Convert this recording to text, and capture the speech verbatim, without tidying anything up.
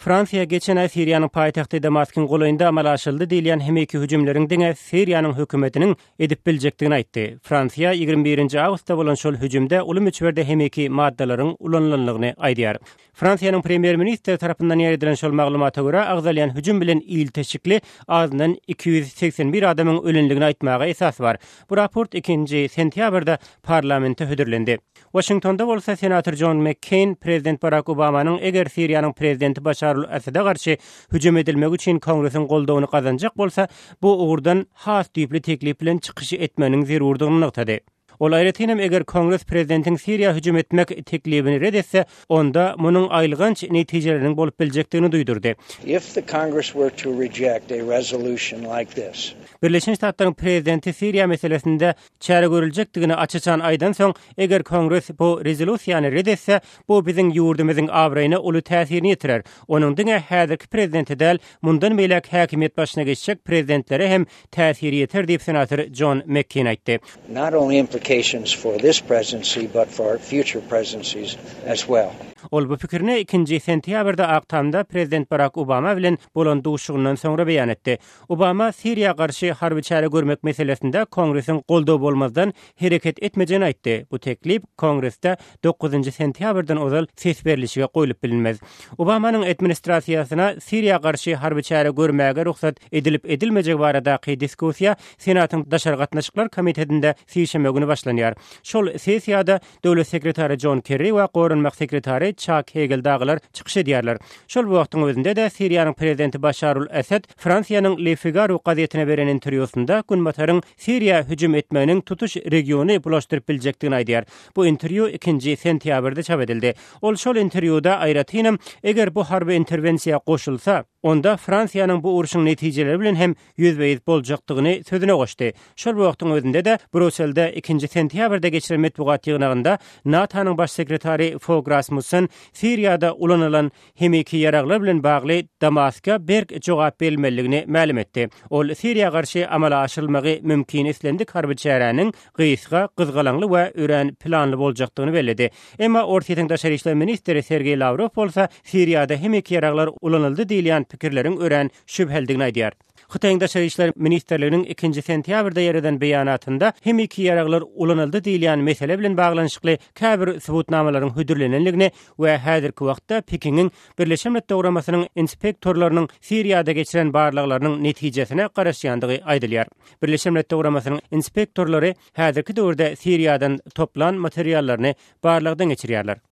Fransiýa geçen aý Siriýanyň paýtagty Damaskyň golaýynda amala aşyryldy diýilýän himiki hüjümleriň diňe Siriýanyň hökümetiniň edip biljekdigini aýtdy. Fransiýa ýigrimi birinji awgustda bolan şol hüjümde uly möçberde himiki maddalaryň ulanylandygyny aýdýar. Fransiýanyň premýer-ministri tarapyndan ýaýradylan şol maglumata görä, agzalýan hüjüm bilen ilteşikli azyndan iki ýüz segsen bir adamyň ölendigini aýtmaga esas bar. Bu raport ikinji sentýabrda parlamente hödürlendi. Waşingtonda bolsa senator Jon McCain prezident Barak Obamanyň eger Siriýanyň prezidenti Başar al-Asada garşy hüjüm edilmegi üçin Kongresiň goldawyny gazanjak bolsa, bu ugurdan has düýpli teklip bilen çykyş etmeginiň zerurdygyny nygtady. Ol aýratyn hem eger Kongres prezidentiň Siriýa hüjüm etmek teklibini red etse, onda munuň aýylganç netijeleriniň bolup biljekdigini duýdurdy. If the Congress were to reject a resolution like this. Birleşen Ştatlaryň prezidenti Siriýa meselesinde çäre görüljekdigini aç-açan aýdan soň, eger Kongres bu rezolýusiýany red etse, bu biziň ýurdumyzyň abraýyna uly täsirini ýetirer. Onuň diňe häzirki prezidente däl, mundan beýläk häkimiýet başyna geçjek prezidentlere hem täsiri ýeter diýip senator Jon McCain aýtdy. Not only implications for this presidency, but for future presidencies as well. Ol bu pikirini ikinji sentýabrda Ak Tamda prezident Barak Obama bilen bolan duşuşygyndan soňra beýan etdi. Obama Siriýa garşy harby çäre görmek meselesinde Kongresiň goldawy bolmazdan hereket etmejegini aýtdy. Bu teklip Kongresde dokuzynjy sentýabrdan ozal ses berlişige goýlup bilinmez. Obamanyň administrasiýasyna Siriýa garşy harby çäre görmäge rugsat edilip edilmejegi baradaky diskussiýa Senatyň Daşary gatnaşyklar komitetinde sişenbe güni başlanýar. Şol sessiýada Döwlet sekretary Jon Kerri we Goranmak sekretary Çak Hegel dagylar çykyş edýärler. Şol wagtyň özünde-de Siriýanyň prezidenti Başar al-Asad Fransiýanyň Le Figaro gazetine beren interwýusynda Günbataryň Siriýa hüjüm etmeginiň tutuş regiony bulaşdyryp biljekdigini aýdýar. Bu interwýu ikinji sentýabrda çap edildi. Ol şol interwýuda aýratynam eger bu harby interwensiýa goşulsa, onda Fransiýanyň bu urşuň netijeleri bilen hem ýüzbe-ýüz boljakdygyny sözüne goşdy. Şol wagtyň özünde-de Brýusselde ikinji sentýabrda geçirilen metbugat ýygnagynda NATO-nyň baş sekretary Fogh Rasmussen Siriýada ulanylan himiki ýaraglar bilen bagly Damaska berk jogap berilmelidigini mälim etdi. Ol Siriýa garşy amala aşyrylmagy mümkin islendik harby çäräniň gysga, gyzgalaňly we örän planly boljakdygyny belledi. Emma Orsýetiň daşary işler ministri Sergeý Lawrow bolsa Siriýada himiki ýaraglar ulanyldy diýilýän pikirleriň örän şübhelidigini aýdýar. Hytaýyň daşary işler ministrliginiň ikinji sentýabrda ýereden beýanatynda himiki ýaraglar ulanyldy diýilýän mesele bilen baglanyşykly käbir subutnamalaryň hödürlenendigini we häzirki wagtda Pekiniň Birleşen Milletler Guramasynyň inspektorlarynyň Siriýada geçiren barlaglarynyň netijesine garaşýandygy aýdylýar. Birleşen Milletler Guramasynyň inspektorlary häzirki döwürde Siriýadan toplan materiallaryny barlagdan geçirýärler.